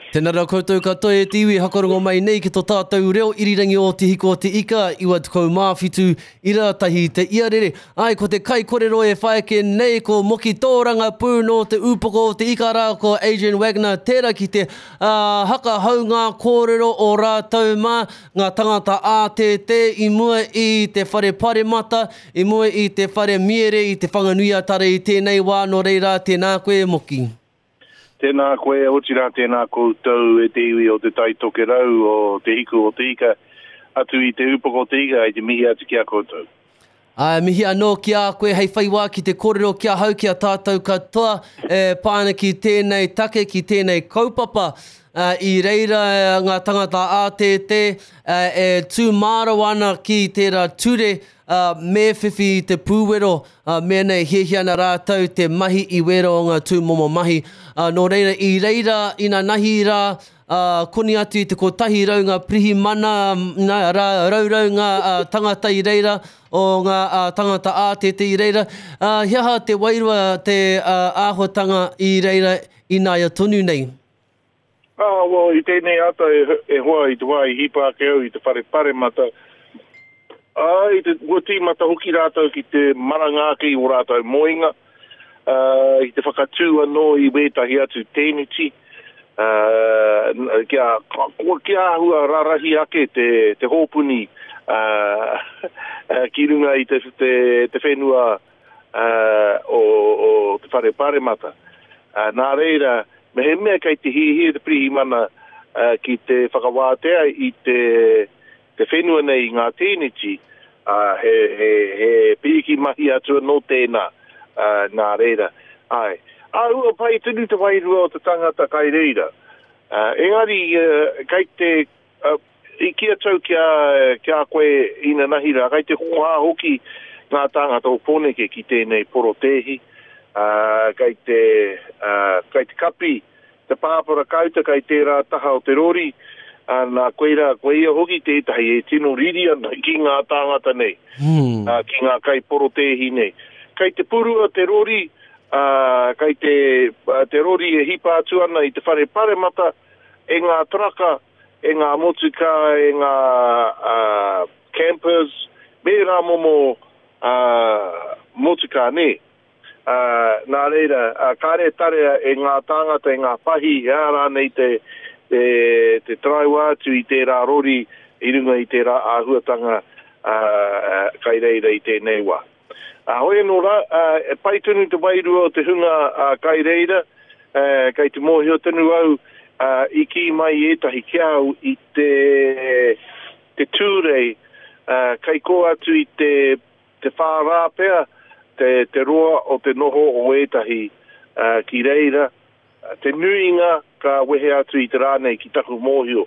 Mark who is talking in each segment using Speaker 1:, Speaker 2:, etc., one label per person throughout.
Speaker 1: Tēnā rā koutou katoa e te iwi hakarongo mai nei ki to tātou reo irirangi o Te Hiko o Te Ika, 97 ira tahi te iarere. Ai, ko te kaikorero e whai ake nei ko Moki Tōrangapū nō Te Ūpoko o Te Ika rā ko Adrian Wagner tērā ki te hakahau ngā kōrero o rātou mā, ngā tangata ātētē i mua i te whare paremata, i mua i te whare miere i Te Whanganui-a-Tara i tēnei wā, nō reira tēnā koe e Moki.
Speaker 2: Tēnā koe, otirā tēnā koutou e te iwi o Te Tai Tokerau, o Te Hiku o Te Ika, atu i Te Upoko o Te Ika, i te mihi atu ki a koutou.
Speaker 1: Ā, mihi anō ki a koe hei whai wā ki te kōrero ki ahau, ki a tātou katoa e pā ana ki tēnei take, ki tēnei kaupapa. Ā, i reira ngā tangata ātētē e tū mārawa ana ki tērā ture, ā, me whiwhi i te pūwero, Ā, mēnā e hiahia ana rātou te mahi i wērā o ngā tūmomo mahi. Ā, nō reira, i reira, inanahi rā, ā, koni atu i te 100 ngā pirihimana, nā, rā, raurau ngā ā, tangata i reira, o ngā ā, tangata ātete i reira. Ā, he aha te wairua, te ā, āhuatanga i reira ināia tonu nei?
Speaker 2: Ā, well, i tēnei ata e, e hoa i te wā i hipa ake au i te whare paremata, ā, i te, kua tīmata hoki rātou ki te maranga ake i ō rātou moenga, ā, i te whakatū anō i wētahi atu tēneti, ā, kia, kia āhua rarahi ake te, te hōpuni, ā, ki runga i te, te, te whenua, ā, o, o te whare paremata. Ā, nā reira, mehemea kei te hiahia te pirihimana ki te whakawātea i te, te whenua nei i ngā tēneti, ā, he, he, he pīki mahi atu anō tēnā, ā, nā reira. Āe. Āhua pai tonu te wairua o te tangata kai reira. Ā, engari, kei te, I kī atu au ki a, ki a koe inanahi rā, kei te hōhā hoki ngā tāngata o Pōneke ki tēnei porotēhi, ā, kei te, ā, kei te kapi te pāpara kāuta kei tērā taha o te rori, ā, nā, koirā, koia hoki tētahi e tino riri ana ki ngā tāngata nei, ā, ki ngā kaiporotēhi nei. Kei te purua te rori, ā, kei te, te rori e hipa atu ana i te whare paremata, e ngā taraka, e ngā motukā, e ngā campers, me ērā momo motukā, nē. Nā reira, kāre e tarea e ngā tāngata, e ngā pahi, e aha rānei te, te, te taraiwa atu i tērā rori i runga i tērā āhuatanga kai reira i tēnei wā. Ā, hoi anō rā, e pai tonu te wairua o te hunga kai reira, kei te mōhio tonu au i kī mai ētahi ki a au i te, te Tūrei, kei kō atu i te, te whā rā pea te, te roa o te noho o ētahi ki reira, Te nuinga ka wehe atu i te rā nei ki taku mōhio.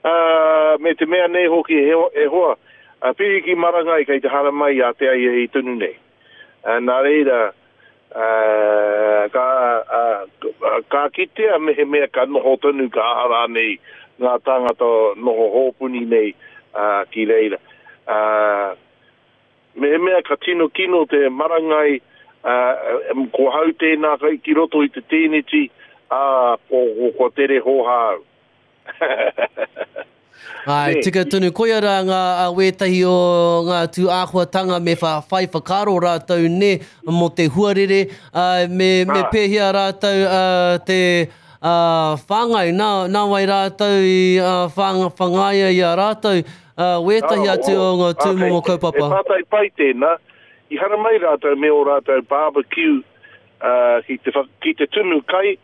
Speaker 2: Ā, me te mea nei hoki e hoa, a Piri ki Marangai kei te haramai a te ahiahi tonu nei. Ā, nā reira, ā, ka, ā, ka kitea mehemea ka noho tonu ka aha rānei ngā tāngata noho hōpuni nei, ā, ki reira. Ā. Mehemea ka tino kino te marangai, ā, ko hau tēnā ki roto i te tēneti, ā, ko, kua tere hōhā au.
Speaker 1: Āe, tika tonu, koia rā ngā wētahi o ngā tū āhuatanga me whai whakaaro rātou nē mō te huarere, ā, me, me pēhea rātou te whāngai, nā, nā wai rātou i whangaia i a rātou, Ā, wētahi atu o ngā tūmomo kaupapa.
Speaker 2: He pātai pai tēnā. I haramai rātou me ō rātou barbecue ki te, ki te tunu kai,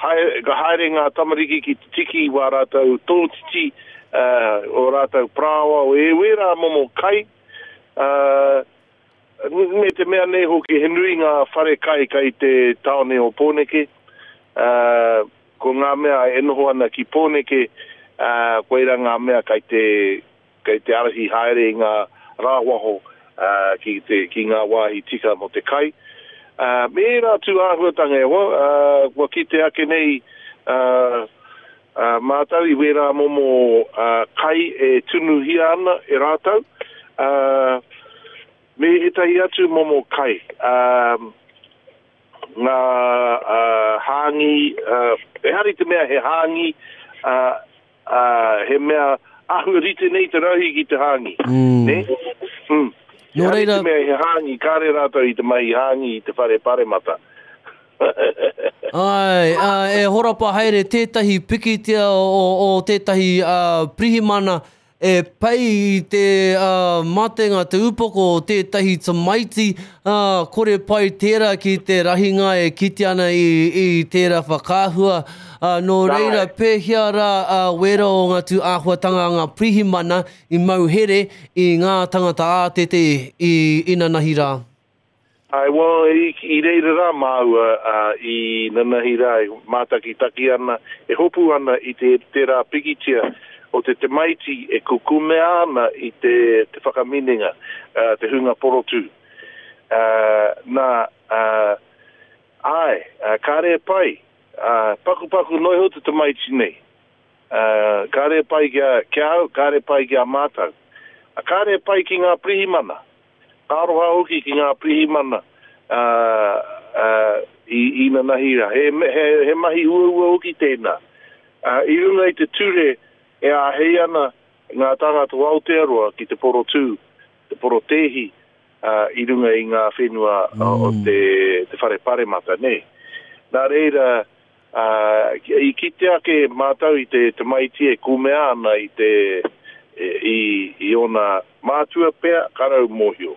Speaker 2: haere, ka haere ngā tamariki ki te tiki i wā rātou tōtiti, ō rātou parāoa, o ērā momo kai. Me te mea nei hoki, he nui ngā whare kai kai te tāone o Pōneke. Ko ngā mea e noho ana ki Pōneke, koirā ngā mea kai te, kai te ārahi haere i ngā rāwaho ki te, ki ngā wāhi tika mō te kai. Me ērā tū āhuatanga e hoa, kua kite ake nei mātou i wērā momo kai e tunuhia ana e rātou, me ētahi atu momo kai. Ngā hāngī, ehara i te mea he hāngī, Ā, ā, he mea āhua rite nei te rahi ki te hāngi. Nē? Mm.
Speaker 1: Nō
Speaker 2: Ehara i
Speaker 1: reira.
Speaker 2: te mea he hāngi, kāre rātou i te mahi hāngi i te whare paremata.
Speaker 1: Āe, ā, e horapa haere tētahi pikitia o, o tētahi, ā, pirihimana e pei i te matenga, te upoko o tētahi tamaiti, ā, kore pai tērā ki te rahinga e kite ana i, i tērā whakaahua. Ā, nō reira, pēhea rā a wērā o ngā tū āhuatanga a ngā pirihimana i mau here i ngā tangata ātete i inanahi rā?
Speaker 2: Āe, well, i, i reira rā māua, ā, i nanahi rā e mātakitaki ana, e hopu ana i te, tērā pikitia o te tamaiti e kukumea ana i te, te whakaminenga, ā, te hunga porotū. Ā, nā, ā, āe, ā, kāre e pai, ā, pakupaku noa iho te tamaiti nei. Ā, kāre e pai ki a, ki a au, kāre e pai ki a mātou. Ā, kāre e pai ki ngā pirihimana. Ka aroha hoki ki ngā pirihimana i inanahi rā. He, he, he mahi uaua hoki tēnā. I runga i te ture e āhei ana ngā tāngata o Aotearoa ki te porotū, te porotēhi i runga i ngā whenua o te, te whare paremata, nē. Nā reira, Ā, i kite ake mātou i te tamaiti e kumea ana i te, i, i ōna mātua pea, ka rau mōhio.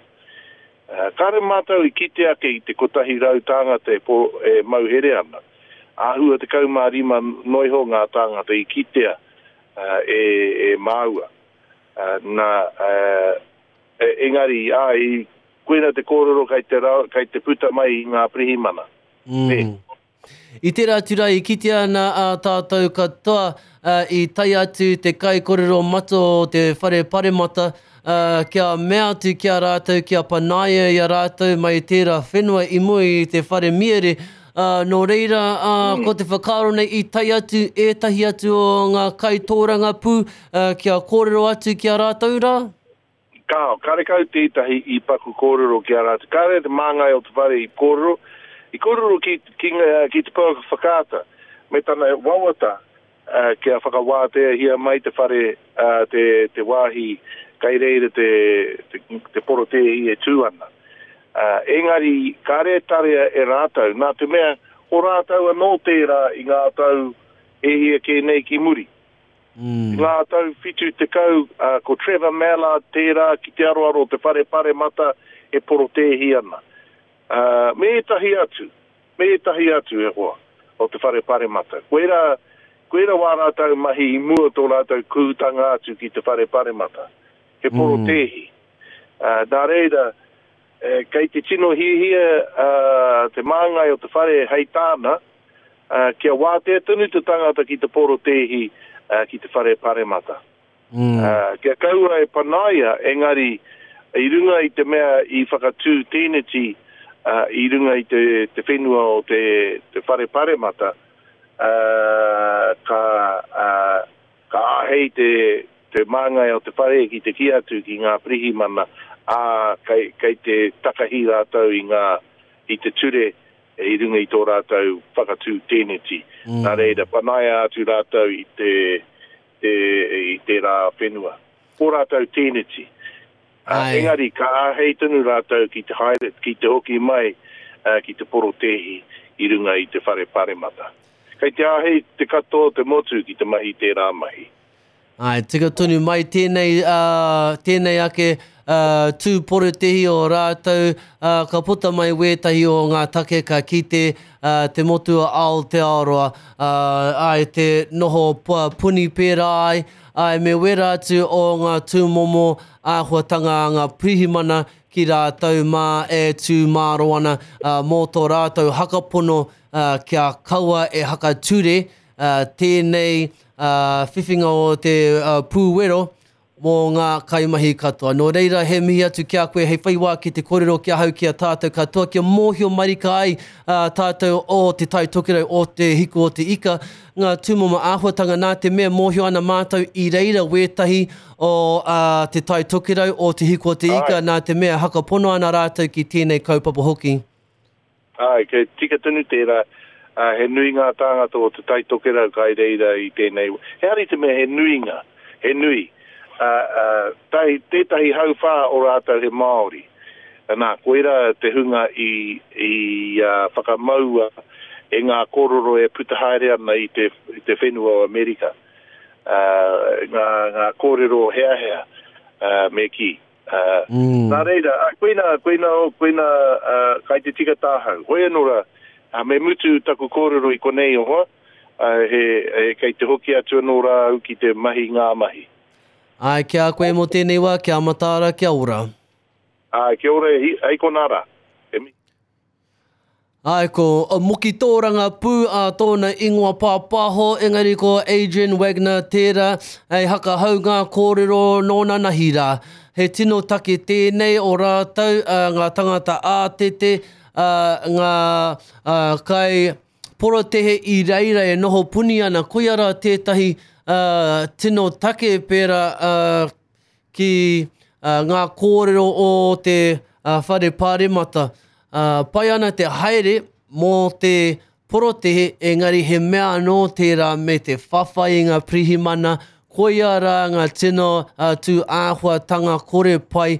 Speaker 2: Ā, kāre mātou i kite ake i te 100 tāngata e, po, e mau here ana. Āhua 15 noa iho ngā tāngata i kitea e, e māua. Ā, nā, ā, engari, ā, i, koina te kōrero kei te, kei te puta mai i ngā pirihimana. Nē.
Speaker 1: I tērā atu rā i kitea ana ā tātou katoa i tae atu te kaikorero matua o te Whare Paremata kia mea atu ki a rātou kia panaia i a rātou mai tērā whenua i mua i te whare miere. Nō reira, ko te whakaaro nei i tae atu ētahi atu o ngā kaitōrangapū kia kōrero atu ki a rātou rā?
Speaker 2: Kāo, karekau tētahi i paku kōrero ki a rātou. Kāre te māngai o te whare i kōrero, i kōrero ki, ki, ki te pouaka whakaata me tana wawata kia whakawāteahia mai te whare, te, te wāhi kai reira te, te, te porotēhi e tū ana. Engari, kāre e tarea e rātou, nā te mea, ko rātou anō tērā i ngā tau e hia kē nei ki muri. I ngā tau 70, ko Trevor Mallard tērā ki te aroaro o te Whare Paremata e porotēhi ana. Me ētahi atu, me ētahi atu e hoa, o te Whare Paremata. Koirā, koirā wā rātou mahi i mua tō rātou kūtanga atu ki te Whare Paremata. He porotēhi. Nā reira, kei te tino hiahia te māngai o te whare hei tāna, ā, kia wātea tonu te tangata ki te porotēhi ki te whare paremata. Ā, kia kaua e panaia, engari i runga i te mea i whakatū tēneti i runga i te, te whenua o te, te whare paremata, ā, ka, ā, ka āhei te, te māngai o te whare ki te kī atu ki ngā pirihimana, ā, kei, kei te takahi rātou i ngā, i te ture i runga i tō rātou whakatū tēneti. Nā reira, panaia atu rātou i te, te, i tērā whenua. Ko rātou tēneti. Ā, engari, ka āhei tonu rātou ki te haere, ki te hoki mai ki te porotēhi i runga i te whare paremata. Kei te āhei te katoa o te motu ki te mahi tērā mahi.
Speaker 1: Āe, tika tonu mai tēnei, ā, tēnei ake, ā, tū porotēhi o rātou, ā, ka puta mai wētahi o ngā take ka kite, ā, te motu o Aotearoa, ā, āe, te noho puni pērā ai, āe, me wērā atu o ngā tūmomo āhuatanga a ngā pirihimana ki rātou mā e tū māro ana, ā, mō tō rātou hakapono, ā, kia kaua e hakature, ā, tēnei, ā, whiwhinga o te pūwero mō ngā kaimahi katoa. Nō reira, he mihi atu ki a koe hei whai wā ki te kōrero ki ahau, ki a tātou katoa, kia mōhio marika ai tātou o Te Tai Tokerau, o Te Hiku o Te Ika, ngā tūmomo āhuatanga nā te mea mōhio ana mātou i reira wētahi o Te Tai Tokerau, o Te Hiku o Te Ika, nā te mea hakapono ana rātou ki tēnei kaupapa hoki.
Speaker 2: Āe, kei tika tonu tērā. Ā, he nui ngā tāngata o Te Tai Tokerau kai reira i tēnei, he hari te mea he nuinga, he nui, ā, ā, tahi, tētahi hauwhā o rātou he Māori. Nā, koirā te hunga i, i, ā, whakamaua e ngā kōrero e puta haere ana i te, i te whenua o Amerika. Ā, ngā, ngā kōrero heahea, ā, me kī. Ā, nā reira, ā, koina, koina, koina, ā, kai te tika tāhau. Hoi anō rā, ā, me mutu taku kōrero i konei e hoa, ā, he, he, kei te hoki atu anō rā au ki te mahi ngā mahi.
Speaker 1: Āe, ki a koe mō tēnei wā, kia mataara, kia ora.
Speaker 2: Āe, kia ora e, hei konā rā. E mihi.
Speaker 1: Āe, ko Moki Tōrangapū a tōna ingoa pāpāho, engari ko Adrian Wagner tērā hei hakahau ngā kōrero nōnanahi rā. He tino take tēnei o rātou, ngā tangata ātete, ngā kai porotehe i reira e noho puni ana, koia rā tētahi tino take pērā ki ngā kōrero o te whare pāremata. Pai ana te haere mō te porotehe, engari he mea anō tērā me te whawhai i ngā pirihimana, koia rā ngā tino tū āhuatanga kore pai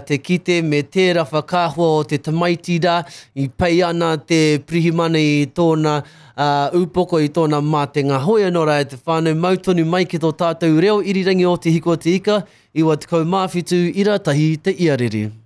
Speaker 1: te kite me tērā whakaahua o te tamaiti rā i pei ana te pirihimana i tōna ūpoko i tōna mātenga. Hoi anō rā e te whānau, mau tonu mai ki tō tātou reo irirangi o Te Hiko o Te Ika, 97 ira tahi te iarere.